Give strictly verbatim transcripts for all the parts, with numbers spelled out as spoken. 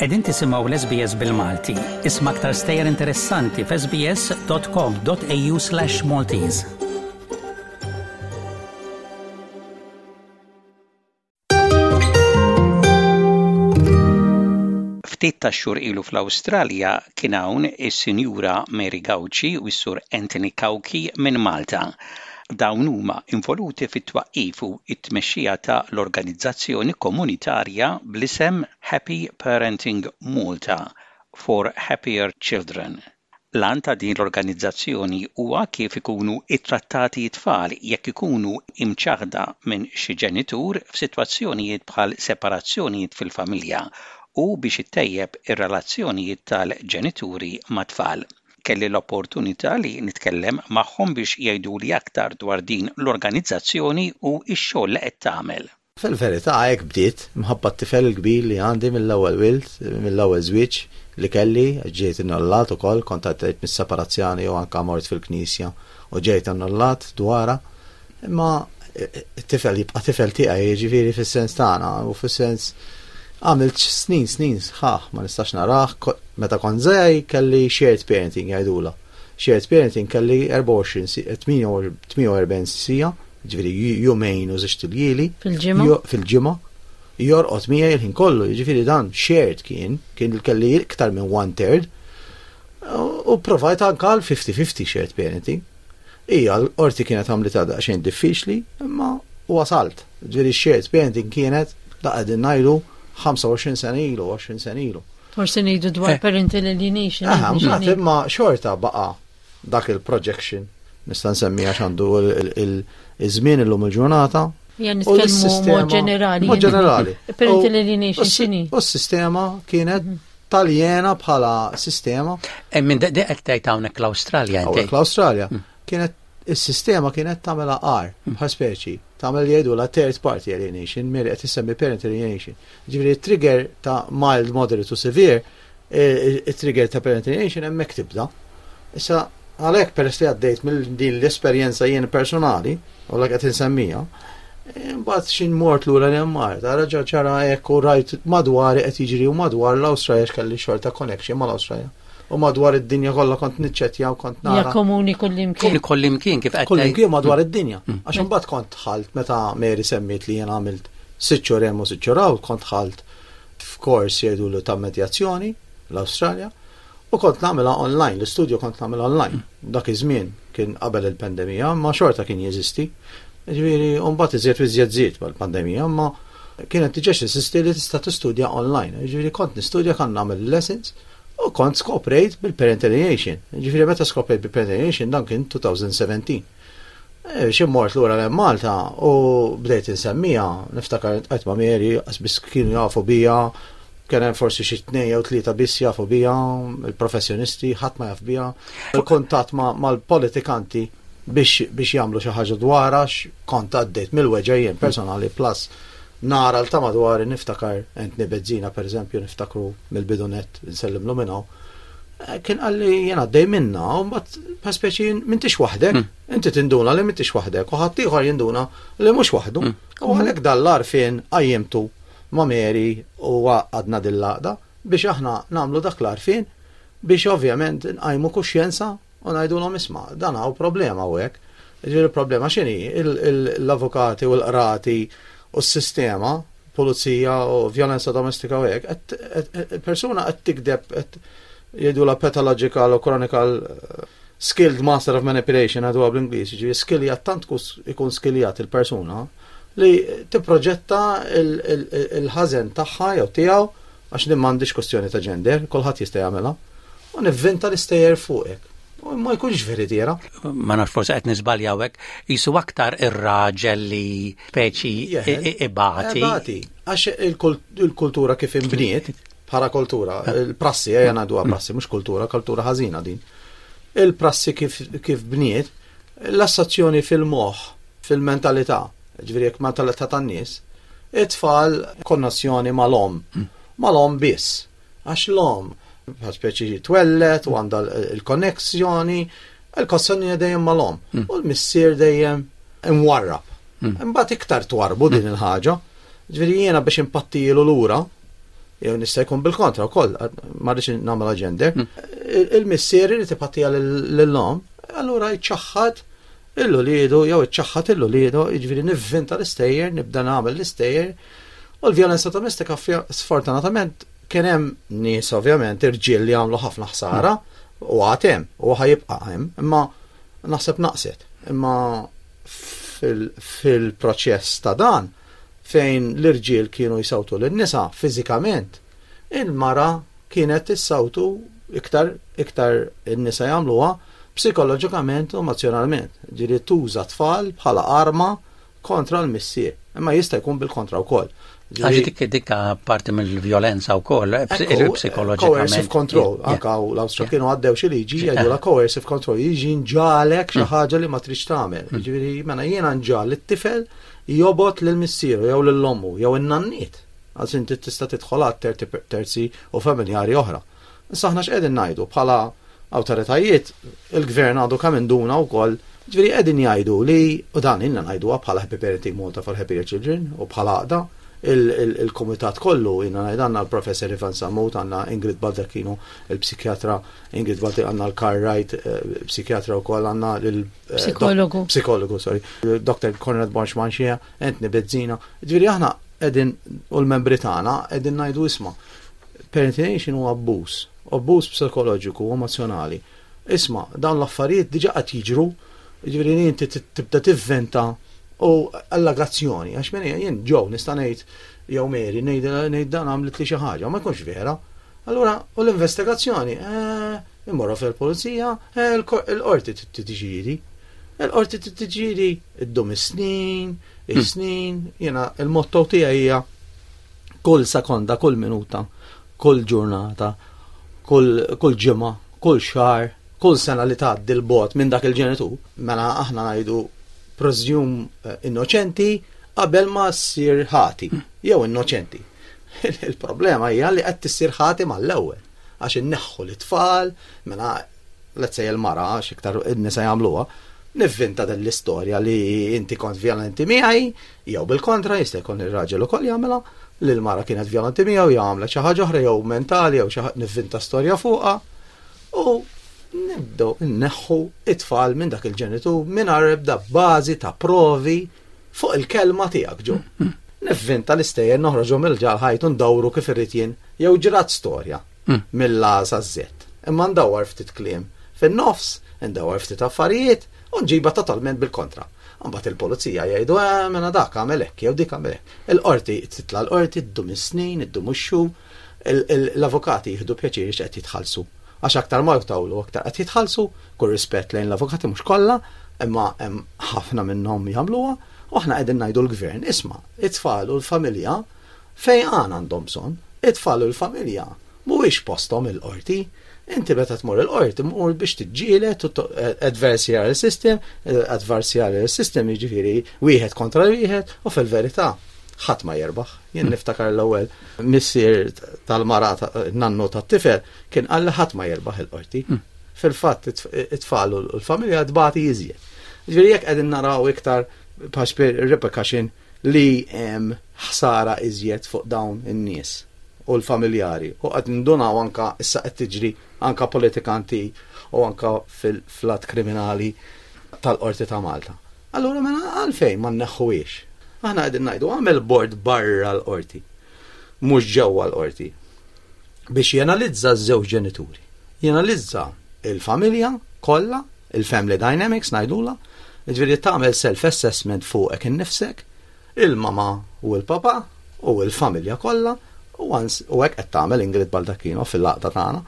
Qegħdin tisimgħu l-S B S bil-Malti. Isma' aktar stejjer interessanti f'S B S dot com dot A U slash Maltese. Ftit tax-xhur ilu fl-Awstralja kien hawn is-Sinjura Mary Gauci u s-Sur Anthony Cauchi minn Malta. Dawn huma involuti fit-twaqqif u t-tmexxija ta' l-organizzazzjoni komunitarja bl-isem Happy Parenting Malta for Happier Children. L-għan ta' din l-organizzazzjoni huwa kif ikunu ittrattati t-tfal jekk ikunu imċaħda minn xi ġenitur f'sitwazzjonijiet bħal separazzjonijiet fil-familja u biex ittejjeb ir-relazzjonijiet tal-ġenituri mat-tfal. Kelli l-opportunità li nitkellem magħhom biex jgħiduli aktar dwar din l-organizzazzjoni u x-xogħol li qed tagħmel. Fil-verità hekk bdiet, mħabba t-tifel il-kbir li għandi mill-ewwel wild, mill-ewwel żwieġ li kelli, ġejt innullat ukoll, kont għaddejt mis-separazzjoni u anka mort fil-knisja u ġejt annullat dwarha. Imma it-tifel jibqa' tifel tiegħi, jiġifieri fis-sens tagħna u fis-sens għamilt snin snin sħaħ ma nistax narah. Meta kont żgħir kelli shared parenting jgħidula. Shared parenting kelli erbgħa u għoxrin tmienja u erbgħin siegħa, ġifieri jumejn u żewġt iljieli. Fil-ġimgħa? Fil-ġimgħa. Jorqod miegħi il-ħin kollu, jiġifieri dan shared kien, kien kelli iktar minn one third. U provajt anka għal fifty fifty shared parenting. Ija, l-qorti kienet għamlitha daqsxejn diffiċli, imma wasalt. Ġifieri shared parenting kienet da qegħdin ngħidu ħamsa u għoxrin sena ilu, għoxrin sena ilu. Forsi ngħidu dwar parental alienation. Aha, mbagħad imma xorta baqa' dak il-projection nista' nsemmi għax għandu il-żmien illum il-ġurnata. Ja, nitkellmu mod ġenerali. Mod ġenerali. Parental alienation x'inhi? U s-sistema kienet taljena bħala sistema. Minn qed tgħid hawnhekk l-Awstralja inti. Hawnhekk l-Awstralja. Kienet is-sistema kienet tagħmilha agħar bħal speċi, tagħmel li jgħidu la third party alienation, Mary qed issemmi parent alienation. Ġifieri trigger ta' mild, moderate u severe, il-trigger ta' parent alienation hemmhekk tibda. Issa għalhekk peress li għaddejt mill din l-esperjenza jien personali, u l qed insemmija, mbagħad xin mort lura li mart, raġa ċara hekk u rajt madwar qed jiġri u madwar l-Awstralja x'kelli xorta connection mal-Awstralja. U madwar id-dinja kollha kont niċċettja u kont nara. Ja, komuni kullimkien. Kullimkien kif qed Kullimkien madwar id-dinja. Għax imbagħad kont dħalt meta Mary semmiet li jien għamilt sitt xhur hemm u sitt xhur hawn, kont dħalt f'kors jgħidu ta' medjazzjoni l-Awstralja u kont nagħmilha online, l-istudju kont nagħmilha online. Dak iż-żmien kien qabel il-pandemija, ma xorta kien jeżisti. Ġifieri, mbagħad iżjed u iżjed żied mal-pandemija, ma kienet diġà jeżisti li tista' tistudja online. Ġifieri kont nistudja, kan nagħmel lessons u kont skoprejt bil-parent alienation. Ġifieri meta skoprejt bil-parent alienation dan kien elfejn u sbatax. Xi mort lura l Malta u bdejt insemmija, niftakar għedt ma' Mary, biss kienu jafu bija, kien hemm forsi xi tnejn jew tlieta biss jafu bija, il-professjonisti, ħadd ma jaf bija. Il-kuntatt mal-politikanti biex biex jagħmlu xi ħaġa dwarha kont għaddejt mill-weġgħa jien personali plus nara l ta' madwari. Niftakar Anthony Bezzina per eżempju, niftakru mill-bidunet, nsellimlu minn hawn. Kien qalli jien għaddej minna, u mbagħad pa speċi m'intix waħdek, inti tinduna li m'intix waħdek, u ħadd ieħor jinduna li mhux waħdu. U għalhekk dal-għarfien qajjimtu ma' Mary u għadna dil-laqda biex aħna nagħmlu dak l-għarfien biex ovvjament nqajmu kuxjenza u ngħidulhom, isma', dan hawn problema u hekk. Ġifieri problema x'inhi? L-avukati u l-qrati u s-sistema, pulizija u violenza domestika u hekk, persuna qed tikdeb, qed jgħidu la pathological u chronical skilled master of manipulation għadu bl-Ingliż, ġifieri skilljat tant ikun skilljat il-persuna li tipproġetta il-ħażen tagħha jew tiegħu, għax din m'għandix kwestjoni ta' gender, kulħadd jista' jagħmilha, u nivvinta l-istejjer fuqek. U ma jkunx veritiera. Ma nafx, forsi qed niżbalja hawnhekk, jisu aktar ir-raġel li speċi ibati. Ibati, għax il-kultura kif inbniet, bħala kultura, il-prassi, ejja ngħiduha prassi, mhux kultura, kultura ħażina din. Il-prassi kif, kif bniet, l-assazzjoni fil-moħħ, fil-mentalità, ġifieri jekk mentalità tan-nies, it-tfal konnessjoni mal-omm, mal-omm biss. Għax l-omm, bħal speċi twellet u għandha il-konnessjoni, il-konnessjoni dejjem mal-omm. U l-missier dejjem imwarrab. Imbagħad iktar twarbu din il-ħaġa. Ġifieri jiena biex impattilu lura, Jew nista' jkun bil-kontra wkoll, ma rridx nagħmel gender. Il-missier irid ipattiha lill-omm, allura jċaħħad lil uliedu jew iċċaħħad lil uliedu, jiġifieri nivvinta l-istejjer, nibda nagħmel l-istejjer. U l-vjolenza domestika, sfortunatament, kien hemm nies, ovvjament irġiel, li għamlu ħafna ħsara u għad hemm u ħa jibqa' hemm, imma naħseb naqset. Imma fil-proċess ta' dan fejn l-irġiel kienu jisawtu lin-nisa fiżikament, il-mara kienet tissawtu iktar, iktar in-nisa jagħmluha psikoloġikament u emozjonalment. Ġieli tuża tfal bħala arma kontra l-missier. Imma jista' jkun bil-kontra wkoll. Għax dik dikka parti mill-vjolenza wkoll, psikoloġikament. Coercive control, anka l-Awstrija kienu għaddew xi liġi jgħidu la coercive control, jiġi nġagħlek xi mm. ħaġa li ma tridx tagħmel. Mm. Jiġifieri mela jiena nġagħal it-tifel jobgħod lil missieru jew lil ommu jew in-nanniet. Għax inti tista' tidħol għal terzi u familjari oħra. Issa aħna x'qegħdin ngħidu bħala awtoritajiet, il-gvern għadu kemm induna wkoll. Ġifieri qegħdin jgħidu li, u dan ilna ngħiduha bħala Happy Parenting Malta for Happier Children u bħala għaqda, il-komitat kollu, ilna ngħid, għandna l-professor Ivan Sammut, għandna Ingrid Baldacchino, il-psikjatra Ingrid Baldacchino, għandna l-Carl Wright, eh, psikjatra u koll, għandna l-psikologu. Psikologu, sorry, Doktor Conrad Borg Manché, Anthony Bezzina. Ġifieri aħna qegħdin u l-membri tagħna qegħdin ngħidu, isma', parenting huwa abbuż, abbuż psikoloġiku u emozjonali. Isma', dawn l-affarijiet diġa qed jiġru, ġifieri inti tibda tivventa u allegazzjoni, għax minn jien ġew nista' ngħid jew Mary ngħid dan għamlet li xi ħaġa, ma jkunx vera. Allura, u l-investigazzjoni, eh, immorru fil-pulizija, eh, il-qorti tiddeċiedi. Il-qorti tiddeċiedi, iddum is-snin, is-snin, jiena il-motto tiegħi hija kull sekonda, kull minuta, kull ġurnata, kull ġimgħa, kull xahar, kull sena li tgħaddi 'l bogħod minn dak il-ġenitur, mela aħna ngħidu presume eh, innoċenti qabel ma ssir ħati, jew innoċenti. Il-problema hija li qed tissir ħati mal-ewwel għax inneħħu l-tfal, mela let's say il-mara, għax iktar in-nisa jagħmluha, nivvinta din l-istorja li inti kont violenti miegħi, jew bil-kontra jista' jkun ir-raġel ukoll jagħmilha, li l-mara kienet violenti miegħu jew għamlet xi ħaġa oħra jew mentali jew xi nivvinta storja fuqha u nibdew inneħħu it-tfal minn dak il-ġenitur mingħajr ebda bażi ta' provi fuq il-kelma tiegħek ġo. Nivvinta l-istejjer, noħroġu mill-ġal ħajtu, ndawru kif irrid jien jew ġrat storja mill-A sa Z. Imma ndawwar ftit kliem fin-nofs, ndawwar ftit affarijiet u nġiba totalment bil-kontra. Mbagħad il-pulizija jgħidu, eh, mela dak għamel hekk jew dik għamel hekk. Il-qorti titla' l-qorti, ddum is-snin, iddum ix-xhur, l-avukati jieħdu pjaċir qed jitħallsu. Għax aktar ma jtawlu aktar qed jitħallsu, kull rispett lejn l-avukati, mhux kollha, imma hemm ħafna minnhom jagħmluha, u aħna qegħdin ngħidu l-gvern, isma', it-tfal u l-familja fejn għan għandhom bżonn, it-tfal u l-familja mhuwiex posthom il-qorti. Inti meta tmur il-qorti mur biex tiġġieled adversarial system, adversarial system jiġifieri wieħed kontra wieħed, u fil-verità ħadd ma jerbaħ. Jien niftakar l-ewwel missier tal-mara, nannu tat-tifel, kien qal li ħadd ma jerbaħ il-qorti. Fil-fatt it-tfal u l-familja tbati iżjed. Ġifieri jekk qegħdin naraw iktar repercussion li hemm ħsara iżjed fuq dawn in-nies u l-familjari. U qed nindunaw anka issa qed tiġri anka politikanti u anka fil-flat kriminali tal-qorti ta' Malta. Allura mela għalfejn ma nneħħuhiex? Aħna qegħdin ngħidu għamel bord barra l-qorti, mhux ġewwa l-qorti, biex jenalizza ż-żewġ ġenituri. Jenalizza il-familja kollha, il-family dynamics ngħidula, ġifieri tagħmel self-assessment fuqek innifsek, il-mama u l-papa u l-familja kollha, u hekk qed tagħmel Ingrid Baldacchino fil-għaqda tagħna.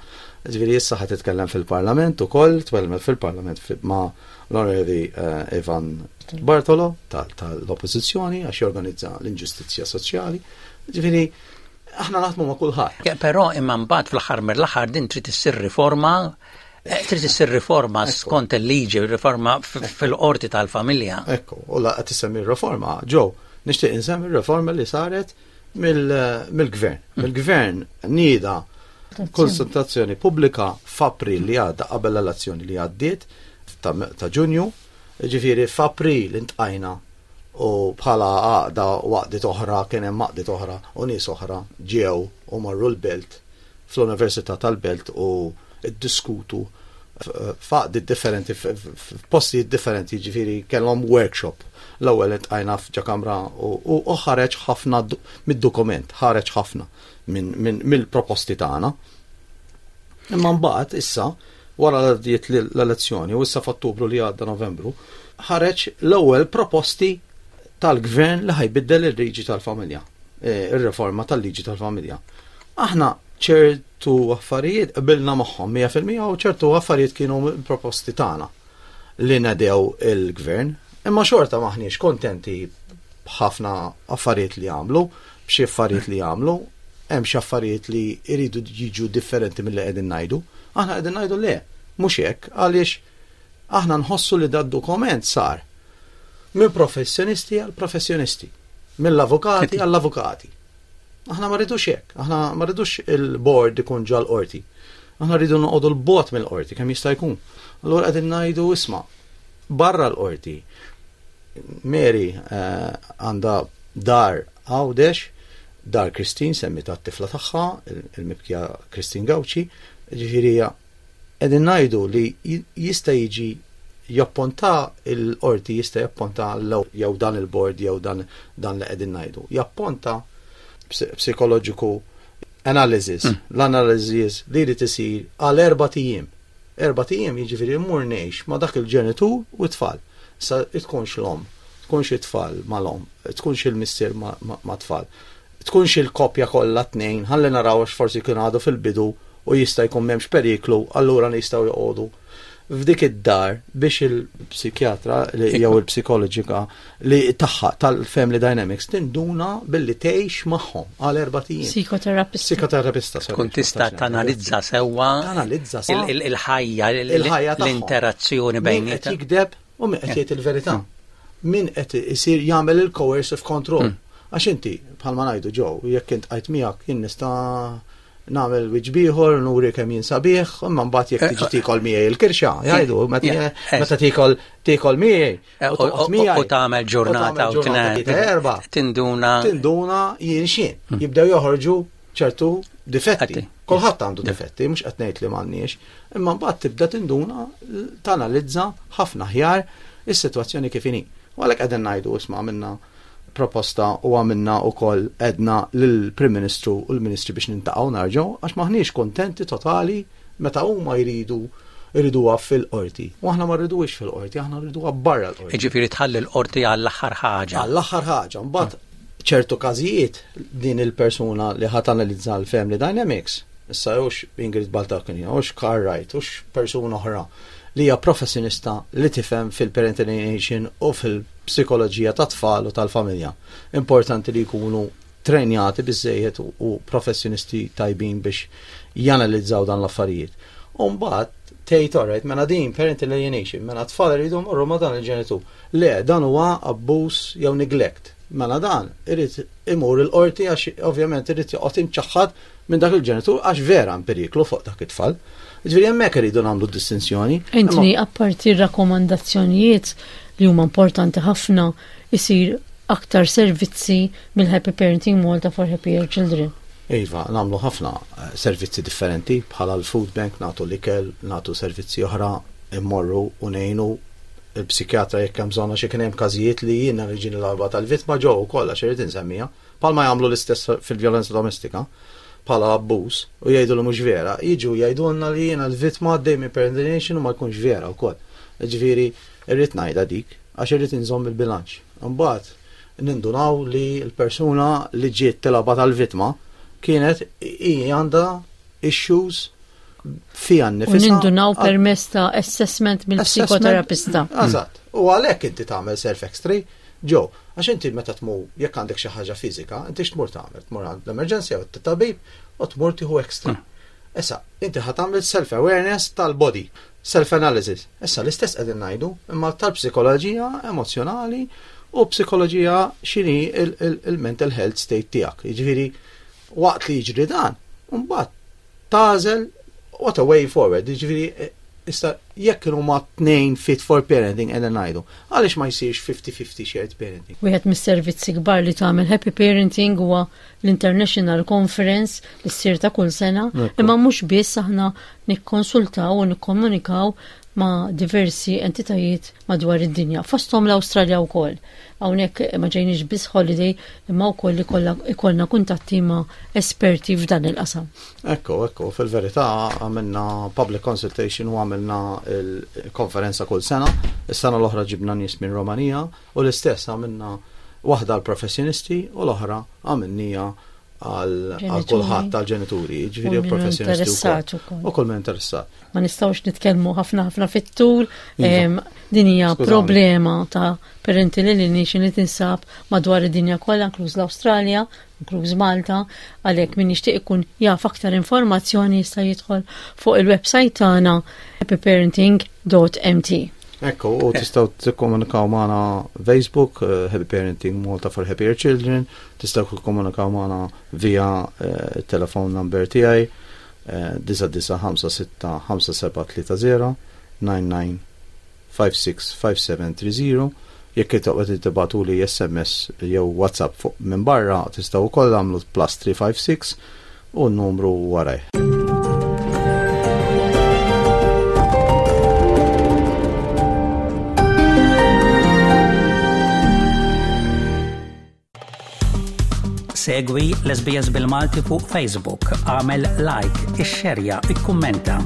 Ġifieri issa ħa titkellem fil-Parlament ukoll, tkellmet fil-Parlament ma' l-Onorevoli eh, Ivan Bartolo tal-Oppożizzjoni għax jorganizza l-inġustizzja soċjali. Ġifieri aħna naħdmu ma' kulħadd. Però imma mbagħad fl-aħħar mill-aħħar din trid issir riforma eh, trid issir riforma skont il-liġi, riforma fil-qorti tal-familja. Ekku, u la qed tisemmi riforma, ġew, nixtieq insemmi riforma li saret mill-gvern. Mm. Il-gvern nieda konsultazzjoni pubblika f'April li għadda, qabel l-elezzjoni li għaddiet ta' Ġunju, ġifieri f'April iltqajna U bħala għaqda u għaqdiet oħra, kien hemm għaqdiet oħra u nies oħra ġew u marru l-Belt, fl-Università tal-Belt, u ddiskutu f'għaqdiet differenti, f'postijiet differenti, ġifieri kellhom workshop. L-ewwel iltqajna f'ġo kamra u ħareġ ħafna mid-dokument, ħareġ ħafna mill-proposti tagħna. Imma mbagħad issa wara l-elezzjoni u issa f'Ottubru li għadda, Novembru, ħareġ l-ewwel proposti tal-gvern li ħa jbiddel il-liġi tal-familja, e, ir-riforma tal-liġi tal-familja. Aħna ċertu affarijiet qbilna magħhom mija fil-mija u ċertu affarijiet kienu proposti tagħna li nedew il-gvern, imma xorta maħniex kontenti b'ħafna affarijiet li għamlu, b'xi affarijiet li għamlu, hemm xi affarijiet li jridu jiġu differenti milli qegħdin ngħidu. Aħna qegħdin ngħidu le, mhux hekk, għaliex aħna nħossu li dad-dokument sar minn professjonisti għal professjonisti, mill-avukati għall-avukati. Aħna ma rridux hekk, aħna ma rridux il-board ikun ġol-qorti. Aħna rridu noqogħdu 'l bogħod mill-qorti kemm jista' jkun. Allura qegħdin ngħidu, isma', barra l-qorti. Mary eh, għandha dar Għawdex, Dar Christine, semmita t-tifla tagħha, il-mibkija Christine Gauci, ġifieri qegħdin ngħidu li jista' jiġi japponta il-qorti, jista' japponta jew dan il-board jew dan dan li qegħdin ngħidu. Japponta psikoloġiku analysis, mm. l-analysis li jrid isir għal erbat ijiem. Erbat ijiem jiġifieri mmur ngħix ma' dak il-ġenitur u t-tfal. Sa tkunx l-om, tkunx it-tfal mal-om, tkunx il-missier ma' tfal. Tkunx il-koppja kollha tnejn, ħalli naraw għax forsi kien għadu fil-bidu u jista' jkun m'hemmx periklu, allura nistgħu joqogħdu f'dik id-dar biex il-psikjatra jew il-psikoloġika li tagħha tal-Family Dynamics tinduna billi tgħix magħhom għal erbat ijiem. Psikoterapista. Psikoterapista. Tkun tista' tanalizza sewwa Tanalizza il-ħajja, l-interazzjoni bejn qed jikdeb u min qed jgħid il-verità. Min qed isir jagħmel il-coercive control. Hmm. Għax inti, bħalma ngħidu ġew, jekk int għajt miegħek, jien nista' nagħmel wiċċ ieħor, nuri kemm jien sabiħ, imma mbagħad jekk tiġi tikol miegħi il-kirxa, jgħidu, meta tikol tikol miegħi. U tagħmel ġurnata u erba. Tinduna. Tinduna jien xien. Hmm. Jibdew joħorġu ċertu difetti. Kulħadd għandu difetti, mhux qed ngħid li m'għandniex, imma mbagħad tibda tinduna, tanalizza ħafna aħjar is-sitwazzjoni kif inhi. U għalhekk qegħdin ngħidu, isma', minna proposta u għamilna u koll għedna l-Prim Ministru u l-Ministri biex niltaqgħu nerġgħu għax maħniex kontenti totali meta huma jridu jriduha fil-qorti. U aħna ma rriduhiex fil-qorti, aħna rriduha barra l-qorti. Ġifieri tħalli l-qorti għall-aħħar ħaġa. Għall-aħħar ħaġa. Mbagħad ċertu każijiet din il-persuna li ħa tanalizza l-Family Dynamics, issa hux Ingrid Baldacchini, hux Carl Wright, hux persuna oħra li hija professjonista li tifhem fil-parental alienation u fil-psikoloġija ta' tfal u tal-familja. Importanti li jkunu trenjati biżejjed u professjonisti tajbin biex janalizzaw dan l-affarijiet. U mbagħad tgħid, alright, mela din parental alienation, mela tfal iridu jmorru ma' dan il-ġenitur. Le, dan huwa abbuż jew neglect. Mela dan irid imur il-qorti għax ovvjament irid joqgħod imċaħħad minn dak il-ġenitur għax vera hemm periklu fuq dak it-tfal. Ġifieri hemmhekk iridu nagħmlu distinzjoni. Anthony, apparti rakkomandazzjonijiet li huma importanti ħafna, isir aktar servizzi mill-Happy Parenting Malta for Happier Children. Iva, nagħmlu ħafna eh, servizzi differenti bħala l-food bank, nagħtu l-ikel, nagħtu servizzi oħra, immorru u ngħinu il-psikjatra jekk hemm bżonn, għax kien hemm każijiet li jiena niġi l-arba tal-vittma ġew ukoll, għax irid insemmiha, bħalma jagħmlu l-istess fil-vjolenza domestika bħala abbuż u jgħidu li mhux vera, jiġu jgħidulna li jiena l-vittma għaddej minn parental u ma jkunx vera wkoll. Ġifieri irrid ngħidha dik għax irrid inżomm il-bilanċ. Imbagħad nindunaw li l-persuna li ġiet tilgħabha tal-vittma kienet hi għandha issues fija nnifisha. U nindunaw permezz ta' assessment mill-psikoterapista. Eżatt. U għalhekk inti tagħmel self-x-ray ġo, għax inti meta tmur, jekk għandek xi ħaġa fiżika, inti x'tmur tagħmel? Tmur għand l-emerġenza jew t-tabib u tmur tieħu x-ray. Hmm. Issa, inti ħa tagħmel self-awareness tal-body, self-analysis. Issa l-istess qegħdin ngħidu, imma tal-psikoloġija emozjonali u psikoloġija x'inhi il-mental health state tiegħek. Jiġifieri waqt li jiġri dan, mbagħad tagħżel what a way forward. Jiġifieri issa Jekk huma tnejn fit for parenting qegħdin ngħidu, għaliex ma jsirx fifty fifty shared parenting? Wieħed mis-servizzi kbar li tagħmel Happy Parenting huwa l-International Conference li ssir ta' kull sena, imma mhux biss, aħna nikkonsultaw u nikkomunikaw ma' diversi entitajiet madwar id-dinja, fosthom l-Awstralja wkoll. Hawnhekk ma ġejniex biss holiday, imma wkoll ikollna kuntatti ma' esperti f'dan il-qasam. Ekku, ekku, fil-verità għamilna public consultation u għamilna il-konferenza kull sena. Is-sena l-oħra ġibna nies minn Romania u l-istess għamilna waħda għal professjonisti u l-oħra għamilnieha għal kulħadd, tal-ġenituri, ġifieri professjonisti u kull min interessat. Ma nistgħux nitkellmu ħafna ħafna fit-tul, iva. Din hija problema ta' parental alienation li tinsab madwar id-dinja kollha, inkluż l-Awstralja, inkluż Malta, għalhekk min jixtieq ikun jaf aktar informazzjoni jista' jidħol fuq il-website tagħna happyparenting dot M T. Ekku, u tistgħu tikkomunikaw magħna Facebook, uh, Happy Parenting Malta for Happier Children, tistgħu tikkomunikaw magħna via uh, telephone number tiegħi disgħa disgħa ħamsa sitta ħamsa seba' tlieta żero nine nine five six five seven three zero. Jekk toqgħod tibagħtuli S M S jew WhatsApp fuq minn barra, tistgħu wkoll għamlu plus three five six u n-numru waraj. Segwi l-S B S bil-Malti fuq Facebook, għamel like, ixxerja, ikkummenta.